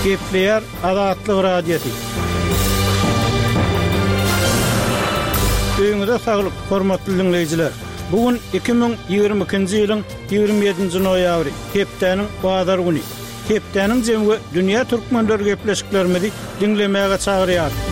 Gepleýär Azatlyk Radiosy. Öýüňize saglyk, hormatly diňleýjiler! Bu gün 2022-nji ýylyň 27-nji noýabry, hepdäniň bazar güni. Hepdäniň jemi we dünýä türkmenleri gepleşiklerimizi diňlemäge çagyrýarys.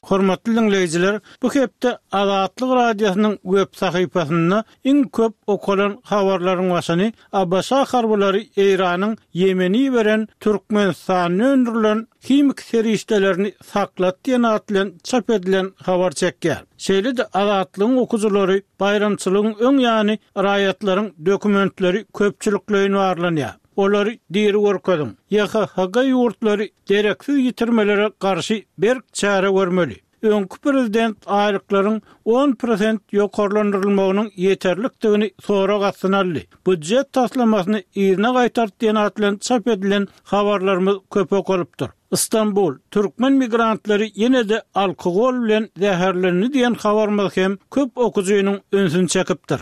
Hormatly diňleýjiler, bu hepde Azatlyk Radiosynyň web sahypasynda iň köp okalan habarlaryň başyny ABŞ harbylary Eýranyň Ýemene iberen Türkmenistanda öndürilen himiki serişdelerini saklat diýen at bilen çap edilen habar çekýär. Şeýle-de Azatlygyň okyjylary baýramçylygyň öň ýany raýatlaryň dokumentleri köpçülikleýin barlanýar. Olary diri görkeziň. YHHG ýurtlary dereksiz ýitirmelere garşy berk çäre görmeli. Öňki prezident aýlyklaryň on prosent ýokarlandyrylmagynyň ýeterlikdigini sorag astyna aldy. Býujet taslamasyny yzyna gaýtart diýen at bilen çap edilen habarlarymyz köp okalypdyr. Stambul, türkmen migrantlary ýene-de alkogol bilen zäherlendi diýen habarymyz hem köp okyjynyň ünsüni çekipdir.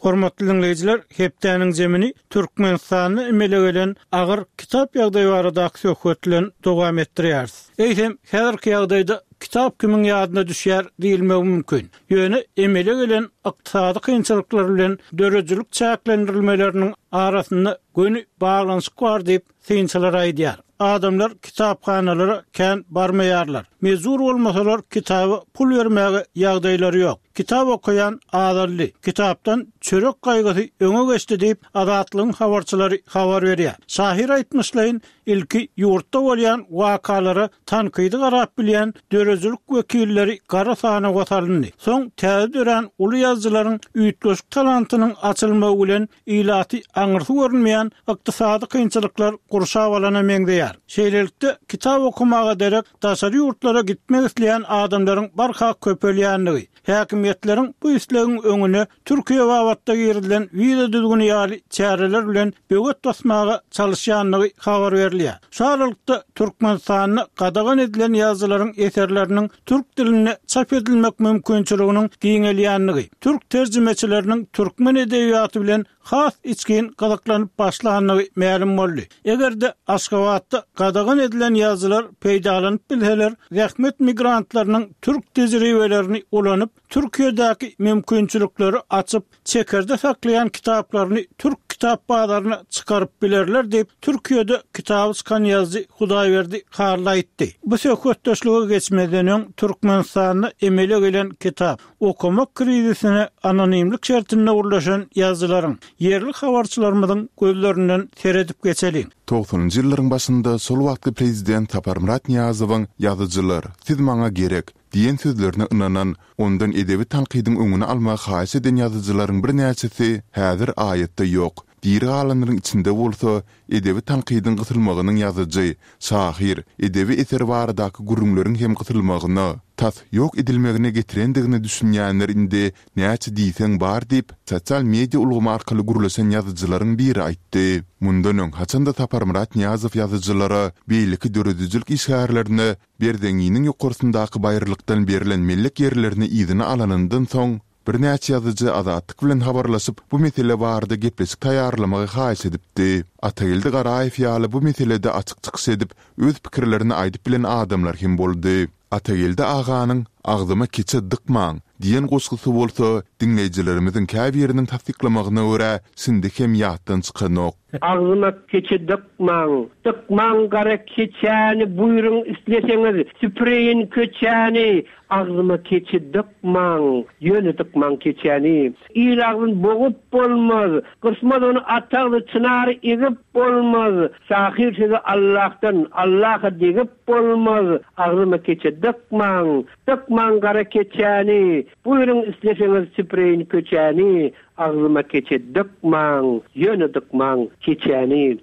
Hormatly diňleýjiler, hepdäniň jemini Türkmenistanda emele gelen agyr kitap ýagdaýy baradaky söhbet bilen dowam etdirýäris. Eýsem, häzirki ýagdaýda kitap kimiň ýadyna düşýär diýilmegi mümkin. Ýöne emele gelen ykdysady kynçylyklar bilen döredijilik çäklendirilmeleriniň arasynda göni baglanyşyk bar diýip, synçylar aýdýar. Adamlar kitaphanalara kän barmaýarlar. Mejbur bolmasalar kitaba pul bermäge ýagdaýlary ýok. Kitap okaýan azaldy. Kitapdan çörek gaýgysy öňe geçdi diýip, Azatlygyň habarçylary habar berýär. Şahyr aýtmyşlaýyn, ilki ýurtda bolýan wakalara tankydy garap bilýän döredijilik wekilleri gara sanawa salyndy. Soň täze dörän uly ýazyjylaryň üýtgeşik talantynyň açylmagy bilen ilaty aňyrsy görünmeýän ykdysady kynçylyklar gurşap alana meňzeýär. Şeýlelikde, kitap okamaga derek daşary ýurtlara gitmek isleýän adamlaryň barha köpelýändigi, häkimiýetleriň bu islegiň öňüne Türkiýe babatda girizilen wiza düzgüni ýaly çäreler bilen böwet basmaga çalyşýandygy habar berilýär. Şu aralykda, Türkmenistanda gadagan edilen ýazyjylaryň eserleriniň türk dilinde çap edilmek mümkinçiliginiň giňelýändigi, türk terjimeçileriniň türkmen edebiýaty bilen has içgin gyzyklanyp başlandygy mälim boldy. Eger-de Aşgabatda gadagan edilen ýazyjylar peýdalanyp bilseler, zähmet migrantlarynyň türk tejribelerini ulanyp, Türkiýedäki mümkinçilikleri açyp, çekerde saklaýan kitaplaryny türk kitap bazaryna çykaryp bilerler diýip, Türkiýede kitaby çykan ýazyjy Hudaýberdi Hally aýtdy. Bu söhbetdeşlige geçmezden öň, Türkmenistanda emele gelen kitap okamak krizisine anonimlik şertinde gürleşen ýazyjylaryň, ýerli habarçylarymyzyň gözlerinden seredip geçeliň. Togsanynjy ýyllaryň başynda şol wagtky prezident Saparmyrat Nyýazowyň Ýazyjylar, siz maňa gerek! Diýen sözlerine ynanan, ondan edebi tankydyň öňüni almagy haýyş eden ýazyjylaryň birnäçesi häzir aýatda ýok. Diri galanlaryň içinde bolsa, edebi tankydyň gysylmagynyň ýazyjy, şahyr, edebi eser baradaky gürrüňleriň hem gysylmagyna, tas ýok edilmegine getirendigine düşünýänler indi näçe diýseň bar diýip, sosial media ulgamy arkaly gürleşen ýazyjylaryň biri aýtdy. Mundan öň, haçan-da Saparmyrat Nyýazow ýazyjylara, beýleki döredijilik işgärlerine Berzeňňiniň ýokarsyndaky baýyrlykdan berlen mellek ýerlerini yzyna alanyndan soň, birnäçe ýazyjy Azatlyk bilen habarlaşyp, bu mesele barada gepleşik taýýarlamagy haýyş edipdi. Atageldi Garaýew ýaly bu meselede açyk çykyş edip, öz pikirlerini aýdyp bilen adamlar hem boldy. Atageldi aganyň Agzyma keçe dykmaň! diýen goşgusy bolsa, diňleýjilerimiziň käbiriniň tassyklamagyna görä, şindi hem ýatdan çykanok. Agzyma keçe dykmaň, dykmaň gara keçäni, buýruň isleseňiz, süpüreýin köçäni. Agzyma keçe dykmaň, ýöne dykmaň keçäni. Il agzyn bogup bolmaz, gysmaz ony at agzy çynary egip bolmaz. Şahyr sözi Allahdan, Allaha degip bolmaz. Agzyma keçe dykmaň, dykmaň gara keçäni, buýruň isleseňiz, süpüreýin köçäni. Agzyma keçe dykmaň, ýöne dykmaň keçäni.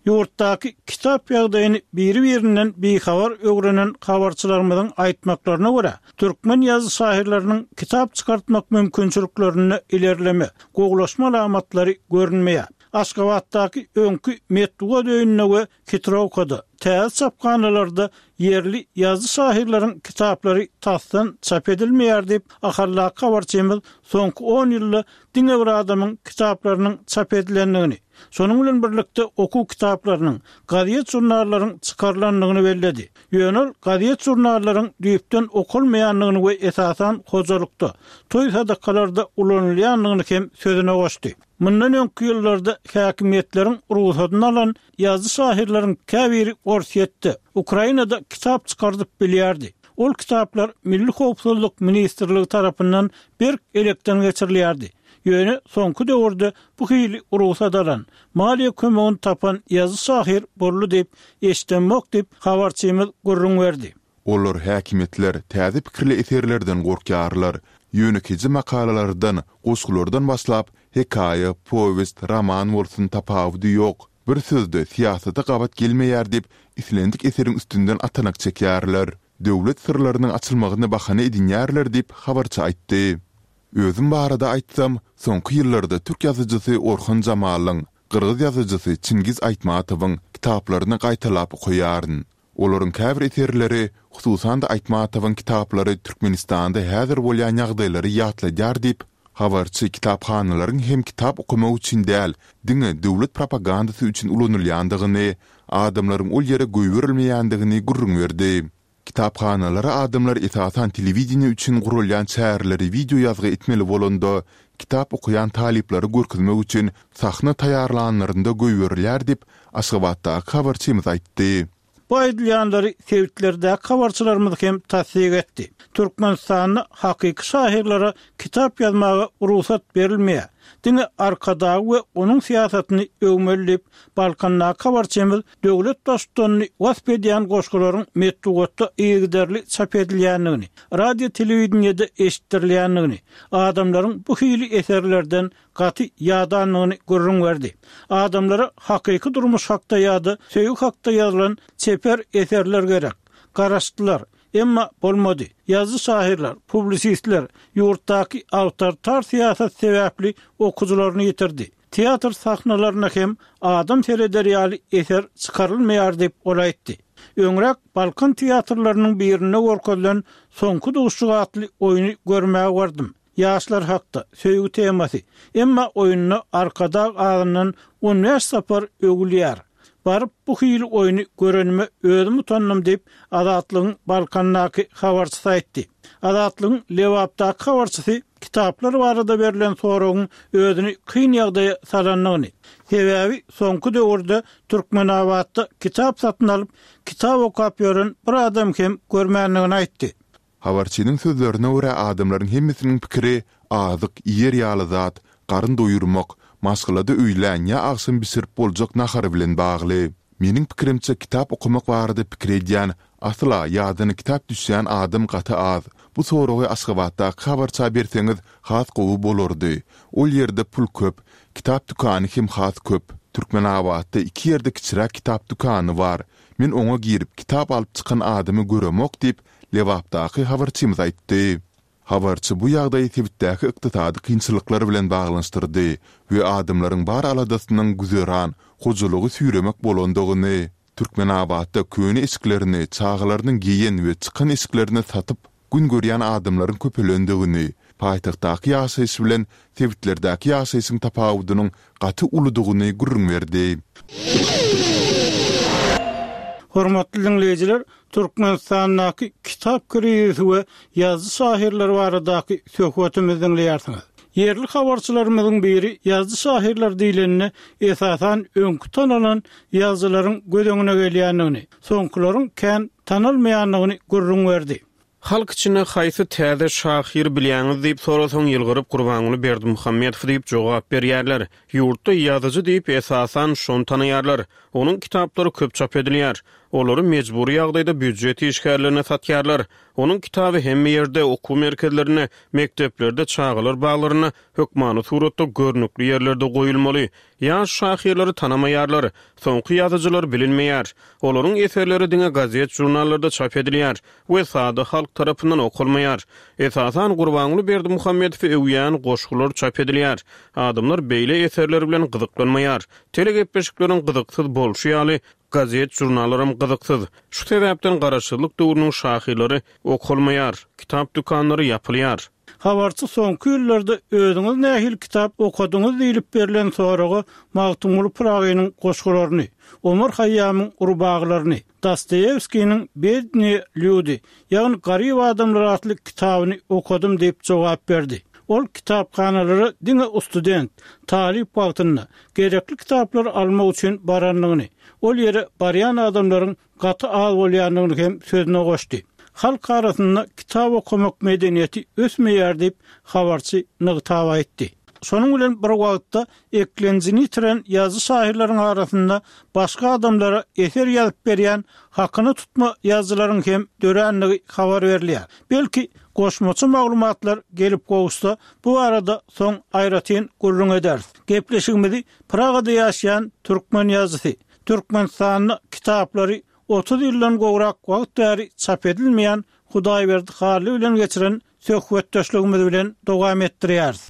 Ýurtdaky kitap ýagdaýyny biri-birinden bihabar öwrenen habarçylarymyzyň aýtmaklaryna görä, türkmen ýazyjy-şahyrlarynyň kitap çykartmak mümkinçiliklerinde ilerleme, gowulaşma alamatlary görünmeýär. Aşgabatdaky öňki Metbugat öýünde we Hitrowkada, täze çaphanalarda ýerli ýazyjy-şahyrlaryň kitaplary tasdan çap edilmeýär diýip, Ahaldaky habarçymyz soňky on ýylda diňe bir adamyň kitaplarynyň çap edilendigini, şonuň bilen birlikde okuw kitaplarynyň, gazet-žurnallaryň çykarylandygyny belledi. Ýöne ol gazet-žurnallaryň düýpden okalmaýandygyny we esasan hojalykda, toý-sadakalarda ulanylýandygyny hem sözüne goşdy. Mundan öňki ýyllarda häkimiýetleriň rugsadyny alan ýazyjy-şahyrlaryň käbiri Orsýetde, Ukrainada kitap çykardyp bilýärdi. Ol kitaplar Milli howpsuzlyk ministrligi tarapyndan berk elekden geçirilýärdi. Ýöne soňky döwürde bu hili rugsat alan, maliýe kömegini tapan ýazyjy-şahyr boldy diýip, eşidemok diýip, habarçymyz gürrüň berdi. Olar, häkimiýetler, täze pikirli eserlerden gorkýarlar. Ýönekeýje makalalardan, goşgulardan başlap, hekaýa, powest, roman bolsun tapawudy ýok, bir sözde syýasata gabat gelmeýär diýip, islendik eseriň üstünden atanak çekýärler. Döwlet syrlarynyň açylmagyny bahana edinýärler diýip, habarçy aýtdy. Özüm barada aýtsam, soňky ýyllarda türk ýazyjysy Orhan Jamalyň, gyrgyz ýazyjysy Çingiz Aýtmatowyň kitaplaryny gaýtalap okaýaryn. Olaryň käbir eserleri, hususan-da Aýtmatowyň kitaplary Türkmenistanda häzir bolýan ýagdaýlary ýatladýar diýip, habarçy kitaphanalaryň hem kitap okamak üçin däl, diňe döwlet propagandasy üçin ulanylýandygyny, adamlaryň ol ýere goýberilmeýändigini gürrüň berdi. Kitaphanalara adamlar esasan telewideniýe üçin guralýan çäreleri wideo ýazgy etmeli bolanda, kitap okaýan talyplary görkezmek üçin sahna taýýarlanlarynda goýberilýär diýip, Aşgabatdaky habarçymyz aýtdy. Bu aýdylýanlary sebitlerdäki habarçylarymyz hem tassyk etdi. Türkmenistanda hakyky şahyrlara kitap ýazmaga rugsat berilmeýär. Diňe Arkadagy we onuň syýasatyny öwmeli diýip, Balkandaky habarçymyz döwlet Baştutanyny wasp edýän goşgularyň metbugatda yzygiderli çap edilýändigini, radio-telewideniýede eşitdirilýändigini, adamlaryň bu hili eserlerden gaty ýadandygyny gürrüň berdi. Adamlara hakyky durmuş hakda ýa-da söýgi hakda ýazylan çeper eserler gerek. Garaşdylar. Emma bolmady. Ýazyjy-şahyrlar, publisistler ýurtdaky awtoritar syýasat sebäpli okyjylaryny ýitirdi. Teatr sahnalaryna hem adam sereder ýaly eser çykarylmaýar diýip, ol aýtdy. Öňräk Balkan teatrlarynyň birinde görkezilen Soňky duşuşyk atly oýny görmäge bardym. Ýaşlar hakda, söýgi temasy. Emma oýunda Arkadag azyndan on bäş sapar öwülýär. Baryp bu hili oýny görenime özüm utandym diýip, Azatlygyň Balkandaky habarçysy aýtdy. Azatlygyň Lebapdaky habarçysy kitaplar barada berlen soragyň özüni kyn ýagdaýa salandygyny, sebäbi soňky döwürde Türkmenabatda kitap satyn alyp, kitap okap ýören bir adam hem görmändigini aýtdy. Habarçynyň sözlerine görä, adamlaryň hemmesiniň pikiri azyk, iýer ýaly zat, garyn doýurmak, maşgalada öýlän ýa agşam bişirip boljak nahar bilen bagly. Meniň pikirimçe, kitap okamak barada pikir edýän, asla ýadyna kitap düşýän adam gaty az. Bu soragy Aşgabatdaky habarça berseňiz has gowy bolardy. Ol ýerde pul köp, kitap dükany hem has köp. Türkmenabatda iki ýerde kiçiräk kitap dükany bar. Men oňa girip, kitap alyp çykan adamy göremok diýip, Lebapdaky habarçymyz aýtdy. Habarçy bu ýagdaýy sebitdäki ykdysady kynçylyklar bilen baglanyşdyrdy we adamlaryň bar aladasynyň güzeran, hojalygy süýremek bolandygyny, Türkmenabatda köne eşiklerini, çagalarynyň geýen we çykan eşiklerini satyp gün görýän adamlaryň köpelendigini, paýtagtdaky ýaşaýyş bilen sebitlerdäki ýaşaýşyň tapawudynyň gaty uludygyny gürrüň berdi. Hormatly diňleýjiler, Türkmenistandaky kitap krizisi we ýazyjy-şahyrlar baradaky söhbetimizi diňleýärsiňiz. Ýerli habarçylarymyzyň biri ýazyjy-şahyrlar diýlende, esasan, öňki tanalan ýazyjylaryň göz öňüne gelýändigini, soňkularyň kän tanalmaýandygyny gürrüň berdi. Halk içinde haýsy täze şahyry bilýäňiz diýip sorasaň, ýylgyryp Gurbanguly Berdimuhamedow diýip jogap berýärler. Ýurtda ýazyjy diýip, esasan, şony tanaýarlar. Onuň kitaplary köp çap edilýär. Olary mejbury ýagdaýda býujet işgärlerine satýarlar. Onuň kitaby hemme ýerde, okuw merkezlerinde, mekdeplerde, çagalar baglarynda hökmany suratda görnükli ýerlerde goýulmaly. Ýaş şahyrlary tanamaýarlar. Soňky ýazyjylar bilinmeýär. Olaryň eserleri diňe gazet-žurnallarda çap edilýär we sada halk tarapyndan okalmaýar. Esasan Gurbanguly Berdimuhamedowy öwýän goşgular çap edilýär. Adamlar beýle eserler bilen gyzyklanmaýar. Telegepleşikleriň gyzyksyz bolşy ýaly, gazet-žurnallaram gyzyksyz. Şu sebäpden garaşsyzlyk döwrüniň şahyrlary okalmaýar, kitap dükanlary ýapylýar. Habarçy soňky ýyllarda özüňiz nähili kitap okadyňyz diýlip berlen soraga Magtymguly Pyragynyň goşgularyny, Omar Haýýamyň rubagylaryny, Dostoýewskiniň Bednyýe lýudi, ýagny Garyp adamlar atly kitabyny okadym diýip jogap berdi. Ol kitaphanalara diňe ustudent, talyp wagtynda, gerekli kitaplary almak üçin barandygyny, ol ýere barýan adamlaryň gaty az bolýandygyny hem sözüne goşdy. Halk arasynda kitap okamak medeniýeti ösmeýär diýip, habarçy nygtap aýtdy. Şonuň bilen bir wagtda, eklenjini ýitiren ýazyjy-şahyrlaryň arasynda başga adamlara eser ýazyp berýän hakyna tutma ýazyjylaryň hem dörändigi habar berilýär. Belki, goşmaça maglumatlar gelip gowuşsa, bu barada soň aýratyn gürrüň ederis. Gepleşigimizi Pragada ýaşaýan türkmen ýazyjysy, Türkmenistanda kitaplary 30 ýyldan gowrak wagt bäri çap edilmeýän Hudaýberdi Hally bilen geçiren söhbetdeşligimiz bilen dowam etdirýäris.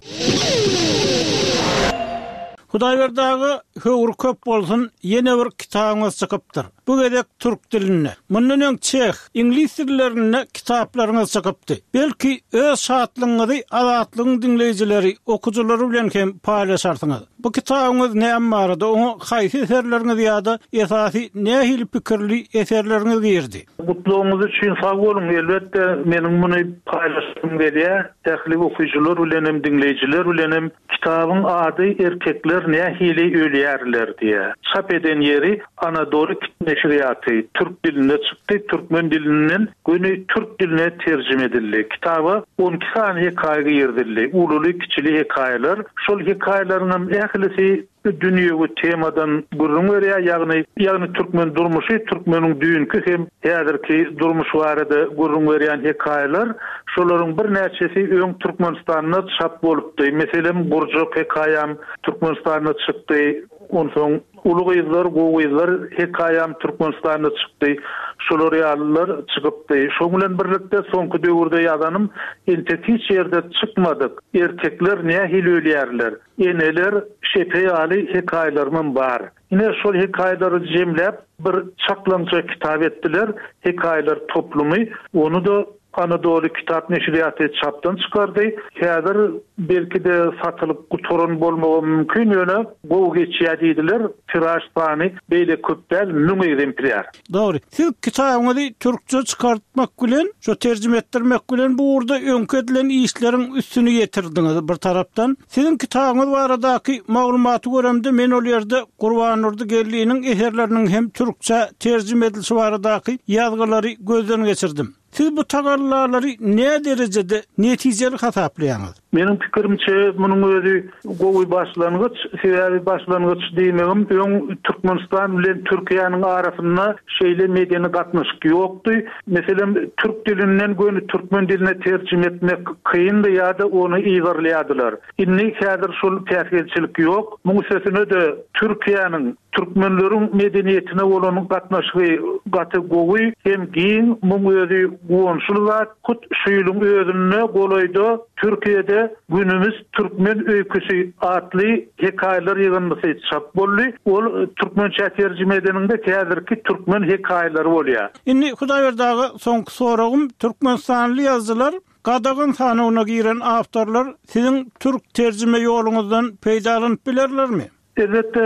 Hudaýberdi aga, höwri köp bolsun, ýene bir kitabyňyz çykypdyr. Bu gezek türk dilinde. Mundan öň çeh, iňlis dillerinde kitaplaryňyz çykypdy. Belki, öz şatlygyňyzy Azatlygyň diňleýjileri, okyjylary bilen hem paýlaşarsyňyz. Bu kitabyňyz näme barada, oňa haýsy eserleriňiz ýa-da esasy nähili pikirli eserleriňiz girdi? Gutlagyňyz üçin sag boluň. Elbetde, meniň muny paýlaşasym gelýär. Ähli okyjylar bilen hem, diňleýjiler bilen hem. Kitabyň ady Erkekler nähili ölýärler diýýär. Çap eden ýeri Anadoly neşirýaty. Türk dilinde çykdy, türkmen dilinden göni türk diline terjime edildi. Kitaba 12 sany hekaýa girizildi. Ululy-kiçili hekaýalar. Şol hekaýalaryňam ählisi dünýewi temadan gürrüň berýär, ýagny ýagny türkmen durmuşy, türkmeniň düýnki hem häzirki durmuşy barada gürrüň berýän hekaýalar. Şolaryň birnäçesi öň Türkmenistanda çap bolupdy. Meselem, Gurjak hekaýam Türkmenistanda çykdy. Onsoň Uly gyzlar, gowy gyzlar hekaýam Türkmenistanda çykdy. Şolar ýalylar çykypdy. Şoň bilen birlikde soňky döwürde ýazanym entek hiç ýerde çykmadyk Erkekler nähili ölýärler? Eneler şepe ýaly hekaýalarymam bar. Ine, şol hekaýalary jemläp, bir çaklaňja kitap etdiler, Hekaýalar toplumy. Ony-da Anadoly kitap neşirýaty çapdan çykardy. Häzir, belki-de, satylyp gutaran bolmagam mümkin, ýöne gowy geçýär diýdiler. Tiraž sany beýle köp däl, 1000 ekzemplýar. Dogry. Siz kitabyňyzy türkçe çykartmak bilen, şo terjime etdirmek bilen bu ugurda öňki edilen işleriň üstüni ýetirdiňiz bir tarapdan. Siziň kitabyňyz baradaky maglumaty göremde men ol ýerde Gurbandurdy Geldiniň eserleriniň hem türkçä terjime edilişi baradaky ýazgylary gözden geçirdim. Siz bu tagallalary näderejede netijeli hasaplaýaňyz? Meniň pikirimçe, munuň özi gowy başlangyç. Sebäbi başlangyç diýmegim, öň Türkmenistan bilen Türkiýäniň arasynda şeýle medeni gatnaşyk ýokdy. Meselem, türk dilinden göni türkmen diline terjime etmek kyndy ýa-da ony yzarlaýardylar. Indi häzir şol päsgelçilik ýok. Muň üstesine-de Türkiýäniň Türkmenleriň medeniýetine bolan gatnaşygy gaty gowy hem giň, muň özi guwançly zat. Hut şu ýylyň özünde golaýda Türkiýede Günümiz türkmen öýküsi atly hekaýalar ýygyndysy çap boldy. Ol türkmençä terjime edeniňde häzirki türkmen hekaýalary bolýar. Indi Hudaýberdi aga soňky soragym, türkmenistanly ýazyjylar Gadagan sanawyna giren awtorlar siziň türk terjime ýoluňyzdan peýdalanyp bilerlermi? Elbetde,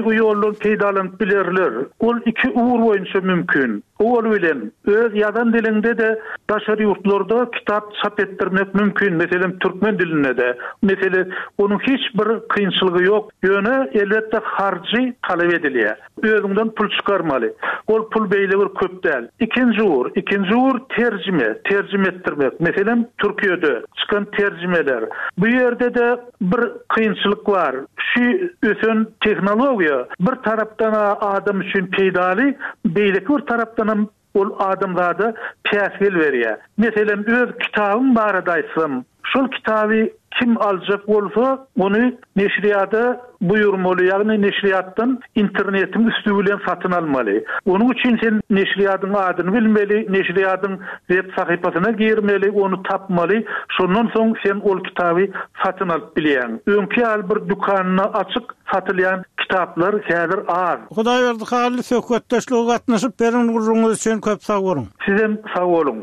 bu ýoldan peýdalanyp bilerler. Ol iki ugur boýunça mümkin. Owal bilen, öz ýazan diliňde-de daşary ýurtlarda kitap çap etdirmek mümkin, meselem, türkmen dilinde-de. Mesele, onuň hiç bir kynçylygy ýok. Ýöne, elbetde, harjy talap edilýär. Özüňden pul çykarmaly. Ol pul beýle bir köp däl. Ikinji ugur, ikinji ugur terjime, terjime etdirmek. Meselem, Türkiýede çykan terjimeler. Bu ýerde-de bir kynçylyk bar. Şu ösen tehnologiýa bir tarapdan-a adam üçin peýdaly, beýleki bir tarapdanam ol adamzada päsgel berýär. Meselem, öz kitabym barada aýtsam, şol kitaby kim aljak bolsa, ony neşirýada buýurmaly, ýagny neşirýatdan internetiň üsti bilen satyn almaly. Onuň üçin sen neşirýadyň adyny bilmeli, neşirýadyň web sahypasyna girmeli, ony tapmaly, şondan soň sen ol kitaby satyn alyp bilýäň. Öňki ýaly bir dükanda açyk satylýan kitaplar häzir az. Hudaýberdi Hally söhbetdeşlige gatnaşyp beren gürrüňiňiz üçin köp sag boluň. Sizem sag boluň.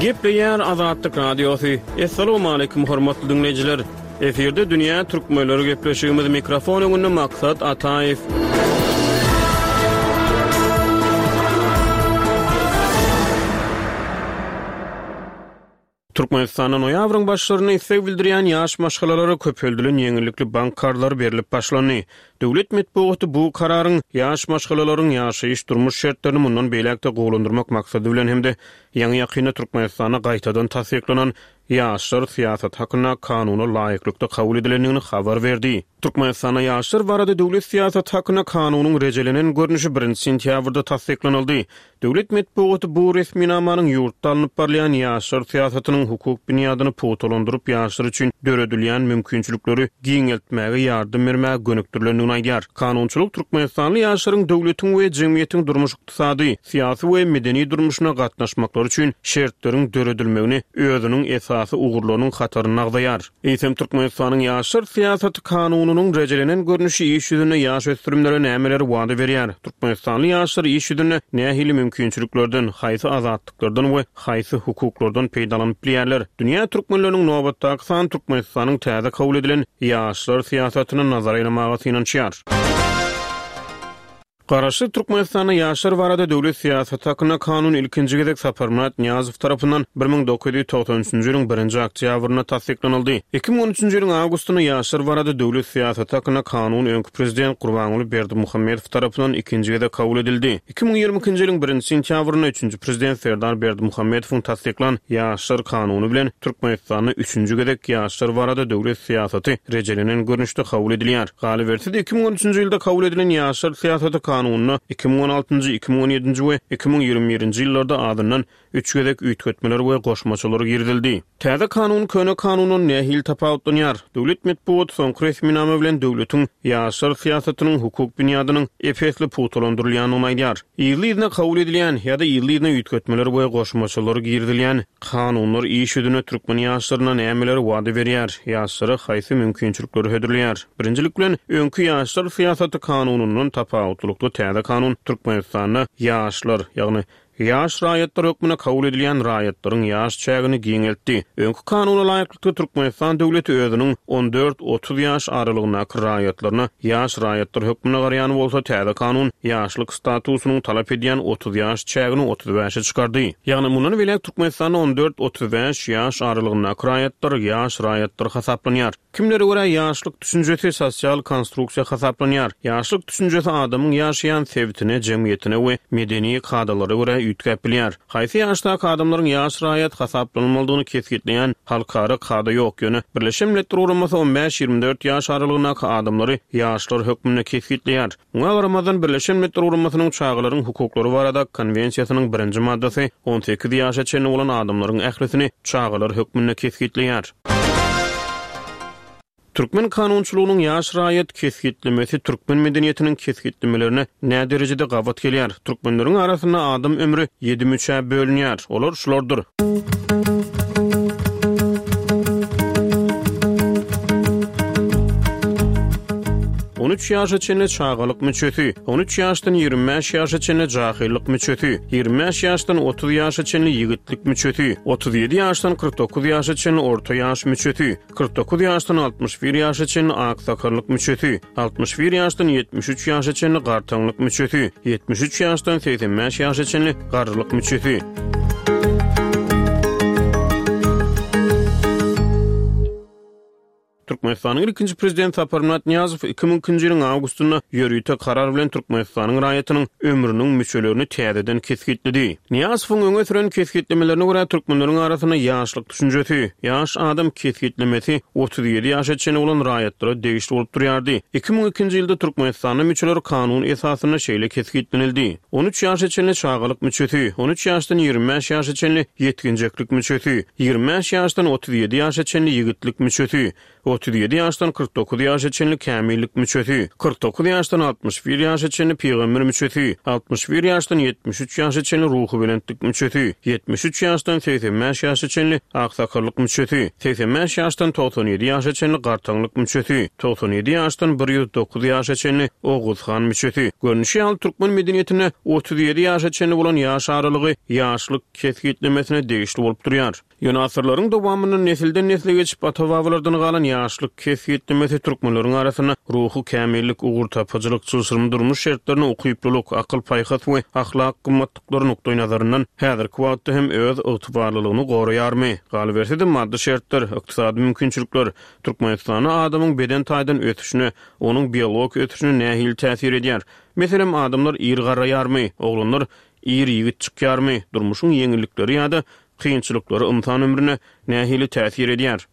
Gepleýär Azatlyk Radiosy. Assalamualaikum hormatly diňleýjiler. Efirde dünýä türkmenleri gepleşigimiz mikrofon öňünde Maksat Ataýew. Türkmenistanda noýabryň başlarynda isleg bildirýän ýaş maşgalalara köpeldilen ýeňillikli bank karzlary berlip başlandy. Döwlet metbugaty bu kararyň ýaş maşgalalaryň ýaşaýyş-durmuş şertlerini mundan beýläk-de gowulandyrmak maksady bilen hem-de ýaňy-ýakynda Türkmenistanda gaýtadan tassyklanan Ýaşlar syýasaty hakynda Kanuna laýyklykda kabul edilendigini habar berdi. Türkmenistanda Ýaşlar barada döwlet syýasaty hakynda Kanunyň rejelenen görnüşi birinji sentýabrda tassyklanyldy. Döwlet metbugaty bu resminamanyň ýurtda alnyp barylýan ýaşlar syýasatynyň hukuk binýadyny pugtalandyryp, ýaşlar üçin döredilýän mümkinçilikleri giňeltmäge ýardam bermäge gönükdirilendigini aýdýar. Kanunçylyk türkmenistanly ýaşlaryň döwletiň we jemgyýetiň durmuş-ykdysady, syýasy we medeni durmuşyna gatnaşmaklary üçin şertleriň döredilmegini özüniň esasy ugurlarynyň hatarynda agzaýar. Eýsem, Türkmenistanyň ýaşlar syýasaty kanunynyň rejelenen görnüşi iş ýüzünde ýaş ösdürimlere nämeleri wada berýär? Türkmenistanly ýaşlar iş ýüzünde nähili mümkinçiliklerden, haýsy azatlyklardan we haýsy hukuklardan peýdalanyp bilýärler? Dünýä türkmenleriniň nobatdaky sany Türkmenistanyň täze kabul edilen ýaşlar syýasatyna nazar aýlamaga synanyşýar. Garaşsyz Türkmenistanda ýaşlar barada döwlet syýasaty hakynda kanun ilkinji gezek Saparmyrat Nyýazow tarapyndan 1993-nji ýylyň birinji oktýabrynda tassyklanyldy. 2013-nji ýylyň awgustynda ýaşlar barada döwlet syýasaty hakynda kanun öňki prezident Gurbanguly Berdimuhamedow tarapyndan ikinji gezek kabul edildi. 2022-nji ýylyň birinji sentýabrynda üçünji prezident Serdar Berdimuhamedowyň tassyklan Ýaşlar kanuny bilen Türkmenistanda üçünji gezek ýaşlar barada döwlet syýasaty rejelenen görnüşde kabul edilýär. Galyberse-de, 2013-nji ýylda kabul edilen Ýaşlar syýasaty kanunynda 2016-njy, 2017-nji we 2021-nji ýyllarda azyndan üç gezek üýtgetmeler we goşmaçalar girizildi. Täze kanun köne kanundan nähili tapawutlanýar? Döwlet metbugaty soňky resminama bilen döwletiň ýaşlar syýasatynyň hukuk binýadynyň ep-esli pugtalandyrylýandygyny aýdýar. Yzly-yzyna kabul edilýän ýa-da yzly-yzyna üýtgetmeler we goşmaçalar girizilýän kanunlar iş ýüzünde türkmen ýaşlaryna nämeleri wada berýär, ýaşlara haýsy mümkinçilikleri hödürleýär? Birinjilik bilen, öňki ýaşlar syýasaty kanunyndan tapawutlylykda täze kanun Türkmenistanda ýaşlar, ýagny ýaş raýatlar hökmünde kabul edilýän raýatlaryň ýaş çägini giňeltdi. Öňki kanuna laýyklykda Türkmenistan döwleti özüniň on dört, 30 ýaş aralygyndaky raýatlaryna ýaş raýatlar hökmünde garaýan bolsa, täze kanun ýaşlyk statusynyň talap edýän 30 ýaş çägini 35-e çykardy. Ýagny mundan beýläk Türkmenistanda on dört, 35 ýaş aralygyndaky raýatlar ýaş raýatlar hasaplanýar. Kimlere görä ýaşlyk düşünjesi sosial konstruksiýa hasaplanýar. Ýaşlyk düşünjesi adamyň ýaşaýan sebitine, jemgyýetine we medeni kadalara görä üýtgäp bilýär. Haýsy ýaşdaky adamlaryň ýaş raýat hasaplanylmalydygyny kesgitleýän halkara kada ýok, ýöne Birleşen Milletler Guramasy on bäş-ýigrimi dört ýaş aralygyndaky adamlary ýaşlar hökmünde kesgitleýär. Muňa garamazdan, Birleşen Milletler Guramasynyň Çagalaryň hukuklary barada Konwensiýasynyň birinji maddasy 18 ýaşa çenli bolan adamlaryň ählisini çagalar hökmünde kesgitleýär. Türkmen kanunçylygynyň ýaş raýat kesgitlemesi türkmen medeniýetiniň kesgitlemelerine näderejede gabat gelýär? Türkmenleriň arasynda adam ömri ýedi müçä bölünýär. Olar şulardyr. 13 ýaşa çenli çagalyk müçesi, 13 ýaşdan 25 ýaşa çenli jahyllyk müçesi, 25 ýaşdan 30 ýaşa çenli ýigitlik müçesi, 37 ýaşdan 49 ýaşa çenli orta ýaş müçesi, 49 ýaşdan 61 ýaşa çenli aksakallyk müçesi, 61 ýaşdan 73 ýaşa çenli gartaňlyk müçesi, 73 ýaşdan 85 ýaşa çenli garrylyk müçesi. Türkmenistanyň ilkinji Prezidenti Saparmyrat Nyýazow 2002-nji ýylyň awgustynda ýörite karar bilen Türkmenistanyň raýatynyň ömrüniň müçelerini täzeden kesgitledi. Nyýazowyň öňe süren kesgitlemelerine görä, türkmenleriň arasynda ýaşlyk düşünjesi, ýaş adam kesgitlemesi 37 ýaşa çenli bolan raýatlara degişli bolup durýardy. 2002-nji ýylda Türkmenistanda müçeler kanun esasynda şeýle kesgitlenildi. 13 ýaşa çenli çagalyk müçesi, 13 ýaşdan 25 ýaşa çenli ýetginjeklik müçesi, 25 ýaşdan 37 ýaşa çenli ýigitlik müçesi, 37 ýaşdan 49 ýaşa çenli kämillik müçesi, 49 ýaşdan 61 ýaşa çenli pygamber müçesi, 61 ýaşdan 73 ýaşa çenli ruhubelentlik müçesi, 73 ýaşdan 85 ýaşa çenli aksakallyk müçesi, 85 ýaşdan 97 ýaşa çenli gartaňlyk müçesi, 97 ýaşdan 109 ýaşa çenli Oguz han müçesi. Görnüşi ýaly, türkmen medeniýetinde 37 ýaşa çenli bolan ýaş aralygy ýaşlyk kesgitlemesine degişli bolup durýar. Ýöne asyrlaryň dowamynda nesilden-nesle geçip, ata-babalardan galan ýaşlyk kesgitlemesi türkmenleriň arasynda ruhy kämillik, ugurtapyjylyk, çylşyrymly durmuş şertlerine ukyplylyk, akyl-paýhas we ahlak gymmatlyklary nukdaýnazaryndan häzirki wagtda hem öz ygtybarlylygyny goraýarmy? Galyberse-de, maddy şertler, ykdysady mümkinçilikler Türkmenistanda adamyň beden taýdan ösüşine, onuň biologik ösüşine nähili täsir edýär? Meselem, adamlar ir garraýarmy? Oglanlar ir ýigit çykýarmy? Durmuşyň ýeňillikleri ýa-da kynçylyklary ynsan ömrüne nähili täsir edýär?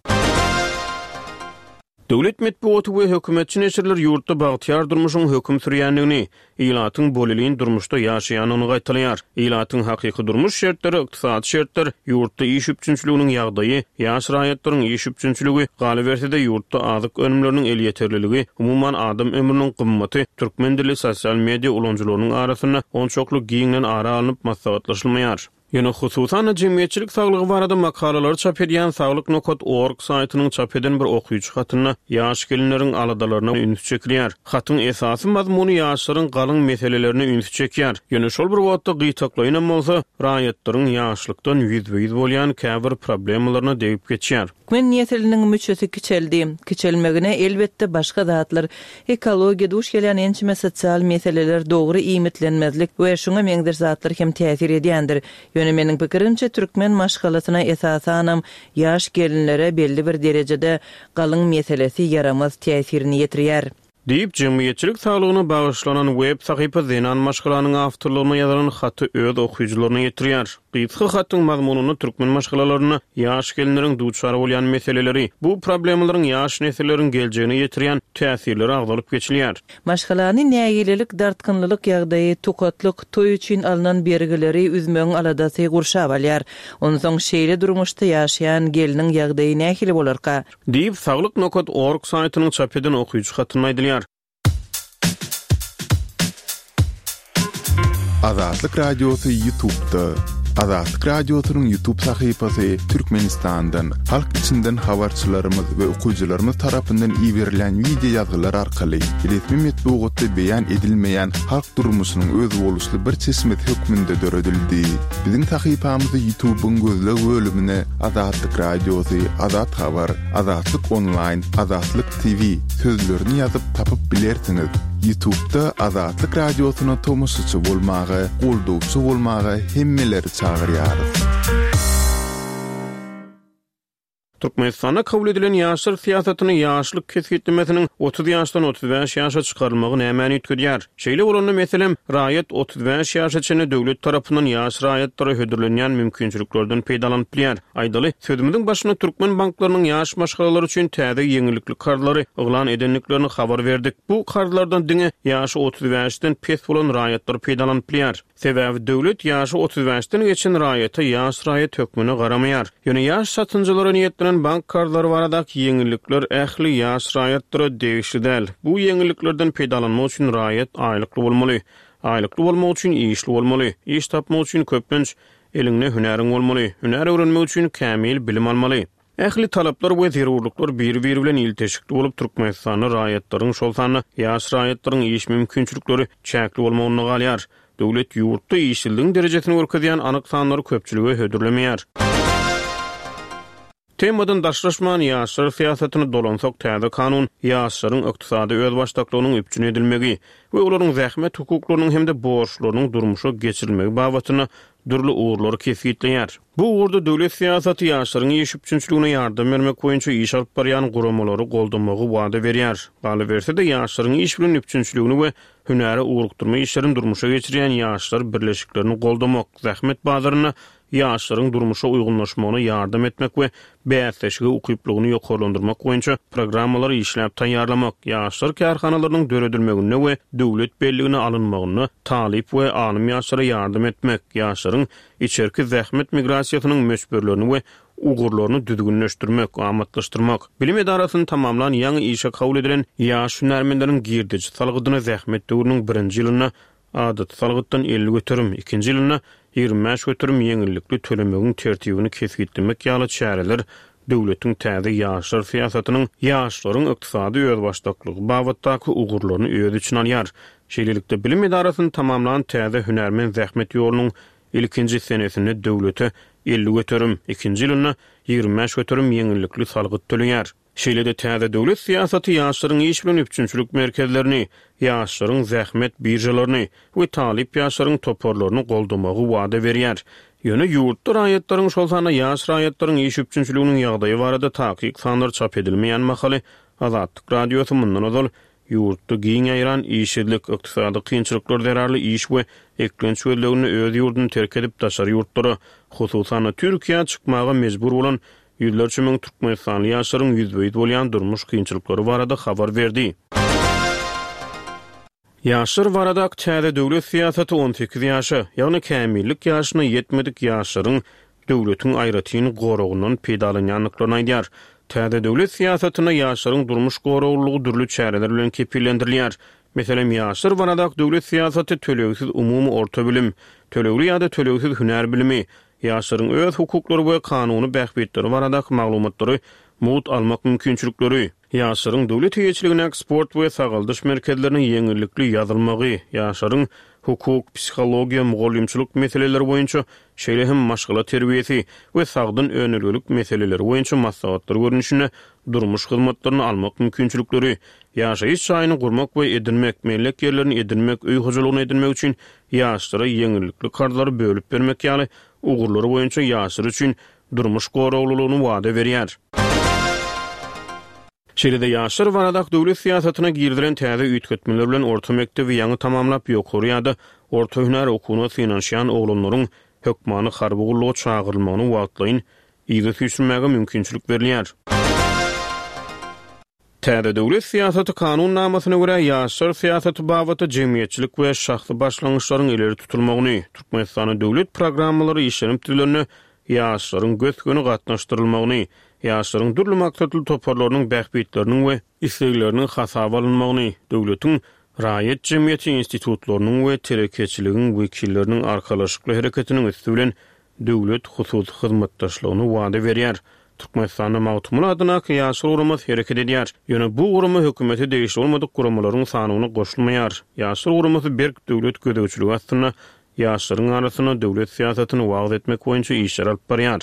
Döwlet metbugaty we hökümetçi neşirler ýurtda bagtyýar durmuşyň höküm sürýändigini, ilatyň bolelin durmuşda ýaşaýandygyny gaýtalaýar. Ilatyň hakyky durmuş şertleri, ykdysady şertler, ýurtda iş üpjünçiliginiň ýagdaýy, ýaş raýatlaryň iş üpjünçiligi, galyberse-de ýurtda azyk önümleriniň elýeterliligi, umuman adam ömrüniň gymmaty türkmen dilli sosial media ulanyjylarynyň arasynda onçakly giňden ara alnyp maslahatlaşylmaýar. Ýöne, hususan-da, jemgyýetçilik saglygy barada makalalary çap edýän Saglyk nokat org saýtynyň çap eden bir okyjy hatynda ýaş gelinleriň aladalaryna üns çekilýär. Hatyň esasy mazmuny ýaşlaryň galyň meselelerine ünsi çekýär. Ýöne şol bir wagtda gytaklaýynam bolsa, raýatlaryň ýaşlykdan ýüzbe-ýüz bolýan käbir problemalaryna degip geçýär. Türkmen nesliniň müçesi kiçeldi. Kiçelmegine, elbetde, başga zatlar, ekologiýa, duş gelýän ençeme sosial meseleler, dogry iýmitlenmezlik we şuňa meňzeş zatlar hem täsir edýändir. Ýöne meniň pikirimçe, türkmen maşgalasyna, esasanam, ýaş gelinlere belli bir derejede galyň meselesi ýaramaz täsirini ýetirýär. Diýip, jemgyýetçilik saglygyna bagyşlanan web sahypa zenan maşgalanyň awtorlygyna ýazylan haty öz okyjylaryna ýetirýär. Gysga hatyň mazmunynda türkmen maşgalalarynda ýaş gelinleriň duçar bolýan meseleleri, bu problemalaryň ýaş nesilleriň geljegine ýetirýän täsirleri agzalyp geçilýär. Maşgalany nägilelik, dartgynlylyk ýagdaýy, tukatlyk, toý üçin alnan bergileri üzmegiň aladasy gurşap alýar. Onsoň şeýle durmuşda ýaşaýan gelniň ýagdaýy nähili bolarka? Diýip, Saglyk nokat org saýtynyň çap eden okyjy hatynda aýdylýar. Azatlyk Radiosy Ýutubda. Azatlyk Radiosynyň Ýutub sahypasy Türkmenistandan, halk içinden habarçylarymyz we okyjylarymyz tarapyndan iberilen wideo ýazgylar arkaly resmi metbugatda beýan edilmeýän halk durmuşynyň özboluşly bir çeşmesi hökmünde döredildi. Biziň sahypamyzy Ýutubyň gözleg bölümine Azatlyk Radiosy, Azat Habar, Azatlyk Onlaýn, Azatlyk TV sözlerini ýazyp tapyp bilersiňiz. Ýutubda Azatlyk Radiosyna tomaşaçy bolmaga, goldawçy bolmaga hemmeleri çagyrýarys. Türkmenistanda kabul edilen ýaşlar syýasatyny ýaşlyk kesgitlemesiniň 30 ýaşdan 35 ýaşa çykarylmagy nämäni üýtgedýär? Şeýle bolanda, meselem, raýat 35 ýaşa çenli döwlet tarapyndan ýaş raýatlara hödürlenýän mümkinçiliklerden peýdalanyp bilýär. Aýdaly, sözümiziň başynda türkmen banklarynyň ýaş maşgalalar üçin täze ýeňillikli karzlary yglan edendiklerini habar berdik. Bu karzlardan diňe ýaşy 35-den pes bolan raýatlar peýdalanyp bilýär. Sebäbi döwlet ýaşy 35-den geçen raýata ýaş raýat hökmünde garamaýar. Ýöne ýaş satynjylara niýetlenen bank karzlary baradaky ýeňillikler ähli ýaş raýatlara degişli däl. Bu ýeňilliklerden peýdalanmak üçin raýat aýlykly bolmaly. Aýlykly bolmak üçin işli bolmaly. Iş tapmak üçin köplenç eliňde hünäriň bolmaly. Hünär öwrenmek üçin kämil bilim almaly. Ähli talaplar we zerurlyklar biri-biri bilen ilteşikli bolup, Türkmenistanda raýatlaryň, şol sanda ýaş raýatlaryň iş mümkinçilikleri çäkli bolmagynda galýar. Döwlet ýurtda işsizligiň derejesini görkezýän anyk sanlary köpçülige hödürlemeýär. Temadan daşlaşman, ýaşlar syýasatyna dolansak, täze kanun ýaşlaryň ykdysady özbaşdaklygynyň üpjün edilmegi we olaryň zähmet hukuklarynyň hem-de borçlarynyň durmuşa geçirilmegi babatynda dürli ugurlary kesgitleýär. Bu ugurda döwlet syýasaty ýaşlaryň iş üpjünçiligine ýardam bermek boýunça iş alyp barýan guramalary goldamagy wada berýär. Galyberse-de, ýaşlaryň iş bilen üpjünçiligini we hünäre ugrukdyrma işlerini durmuşa geçirýän ýaşlar birleşiklerini goldamak, zähmet bazarynda ýaşlaryň durmuşa uýgunlaşmagyna ýardam etmek we bäsleşige ukyplygyny ýokarlandyrmak boýunça programmalary işläp taýýarlamak, ýaşlar kärhanalarynyň döredilmeginde we döwlet belligine alynmagynda talyp we alym ýaşlara ýardam etmek, ýaşlaryň içerki zähmet migrasiýasynyň möçberlerini we ugurlaryny düzgünleşdirmek, amatlaşdyrmak, bilim edarasyny tamamlan ýaňy işe kabul edilen ýaş hünärmenleriň girdeji salgydyny zähmet döwrüniň birinji ýylynda adaty salgytdan 50%, ikinji ýylynda 25% ýeňillikli tölemegiň tertibini kesgitlemek ýaly çäreler döwletiň täze ýaşlar syýasatynyň ýaşlaryň ykdysady özbaşdaklygy babatdaky ugurlaryny öz içine alýar. Şeýlelikde, bilim edarasyny tamamlan täze hünärmen zähmet ýolunyň ilkinji senesinde döwlete 50%, ikinji ýylynda 25% ýeňillikli salgyt töleýär. Şeýle-de täze döwlet syýasaty ýaşlaryň iş bilen üpjünçilik merkezlerini, ýaşlaryň zähmet biržalaryny we talyp ýaşlaryň toparlaryny goldamagy wada berýär. Ýöne ýurtda raýatlaryň, şol sanda ýaş raýatlaryň iş üpjünçiliginiň ýagdaýy barada takyk sanlar çap edilmeýän mahaly, Azatlyk Radiosy mundan ozal ýurtda giň ýaýran işsizlik, ykdysady kynçylyklar zerarly iş we eklenç gözleginde öz ýurduny terk edip daşary ýurtlara, hususan-da Türkiýä çykmaga mejbur bolan Ýüzlerçe müň türkmenistanly ýaşlaryň ýüzbe-ýüz bolýan durmuş kynçylyklary barada habar berdi. Ýaşlar baradaky täze döwlet syýasaty 18 ýaşa, ýagny kämillik ýaşyna ýetmedik ýaşlaryň döwletiň aýratyn goragyndan peýdalanýandyklaryny aýdýar. Täze döwlet syýasatynda ýaşlaryň durmuş goraglylygy dürli çäreler bilen kepillendirilýär. Meselem, ýaşlar baradaky döwlet syýasaty tölegsiz umumy orta bilim, tölegli ýa-da tölegsiz hünär bilimi, Ýaşlaryň öz hukuklary we kanuny bähbitleri baradaky maglumatlary mugt almak mümkinçilikleri, ýaşlaryň döwlet eýeçiligindäki sport we sagaldyş merkezlerine ýeňillikli ýazylmagy, ýaşlaryň hukuk, psihologiýa, mugallymçylyk meseleleri boýunça, şeýle hem maşgala terbiýesi we sagdyn önelgelik meseleleri boýunça maslahatlar görnüşinde durmuş hyzmatlaryny almak mümkinçilikleri, ýaşaýyş jaýyny gurmak we edinmek, mellek ýerlerini edinmek, öý hojalygyny edinmek üçin ýaşlara ýeňillikli karzlary bölüp bermek ýaly ugurlary boýunça ýaşlar üçin durmuş goraglylygyny wada berýär. Şeýle-de ýaşlar baradaky döwlet syýasatyna girizilen täze üýtgetmeler bilen orta mekdebi ýaňy tamamlap ýokary ýa-da orta hünär okuwyna synanyşýan oglanlaryň hökmany harby gulluga çagyrylmagyny wagtlaýyn yza süýşürmäge mümkinçilik berilýär. Täze döwlet syýasaty kanunnamasyna görä, ýaşlar syýasaty babatda jemgyýetçilik we şahsy başlangyçlaryň ileri tutulmagyny, Türkmenistanda döwlet programmalary işlenip düzülende ýaşlaryň gös-göni gatnaşdyrylmagyny, ýaşlaryň dürli maksatly toparlarynyň bähbitleriniň we islegleriniň hasaba alynmagyny, döwletiň, raýat jemgyýeti institutlarynyň we telekeçiligiň wekilleriniň arkalaşykly hereketiniň üsti bilen döwlet-hususy hyzmatdaşlygyny wada berýär. Türkmenistanda Magtymguly adyndaky Ýaşlar guramasy hereket edýär. Ýöne bu gurama hökümete degişli bolmadyk guramalaryň sanawyna goşulmaýar. Ýaşlar guramasy berk döwlet gözegçiligi astynda ýaşlaryň arasynda döwlet syýasatyny wagyz etmek boýunça işleri alyp barýar.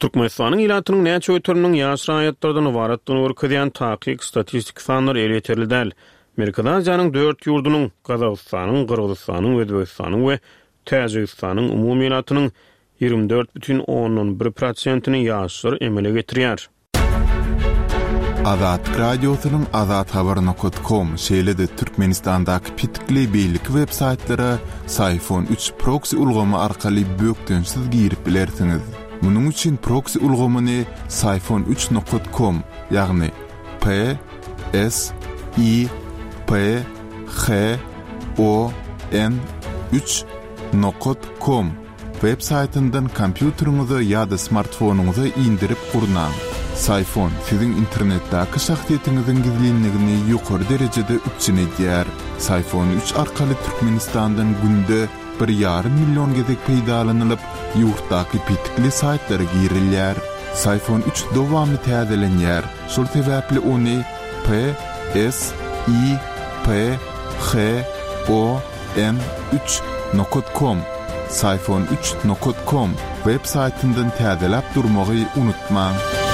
Türkmenistanyň ilatynyň näçe göteriminiň ýaş raýatlardan ybaratdygyny görkezýän takyk statistiki sanlar elýeterli däl. Merkezi Aziýanyň dört ýurdunyň, Gazagystanyň, Gyrgyzystanyň, Özbegistanyň we Täjigistanyň umumy ilatynyň 24,1 prosentini ýaşlar emele getirýär. Azatlyk Radiosynyň Azathabar nokat kom, şeýle-de Türkmenistandaky petikli beýleki web saýtlara Syfon üç proksi ulgamy arkaly bökdençsiz girip bilersiňiz. Munuň üçin proksi ulgamyny Syfon üç nokat kom, ýagny P S I P H O N üç nokat kom Web saýtyndan kompýuteriňize ýa-da smartfonyňyza indirip gurnaň. Syfon siziň internetdäki şahsyýetiňiziň gizlinligini ýokary derejede üpjün edýär. Syfon üç arkaly Türkmenistandan günde. bir ýarym million gezek peýdalanylyp, ýurtdaky petikli saýtlara girilýär. Syphon üç dowamly täzelenýär, şol sebäpli ony P S I P H O N üç nokat kom, Syphon üç nokat kom, web saýtyndan täzeläp durmagy unutmaň.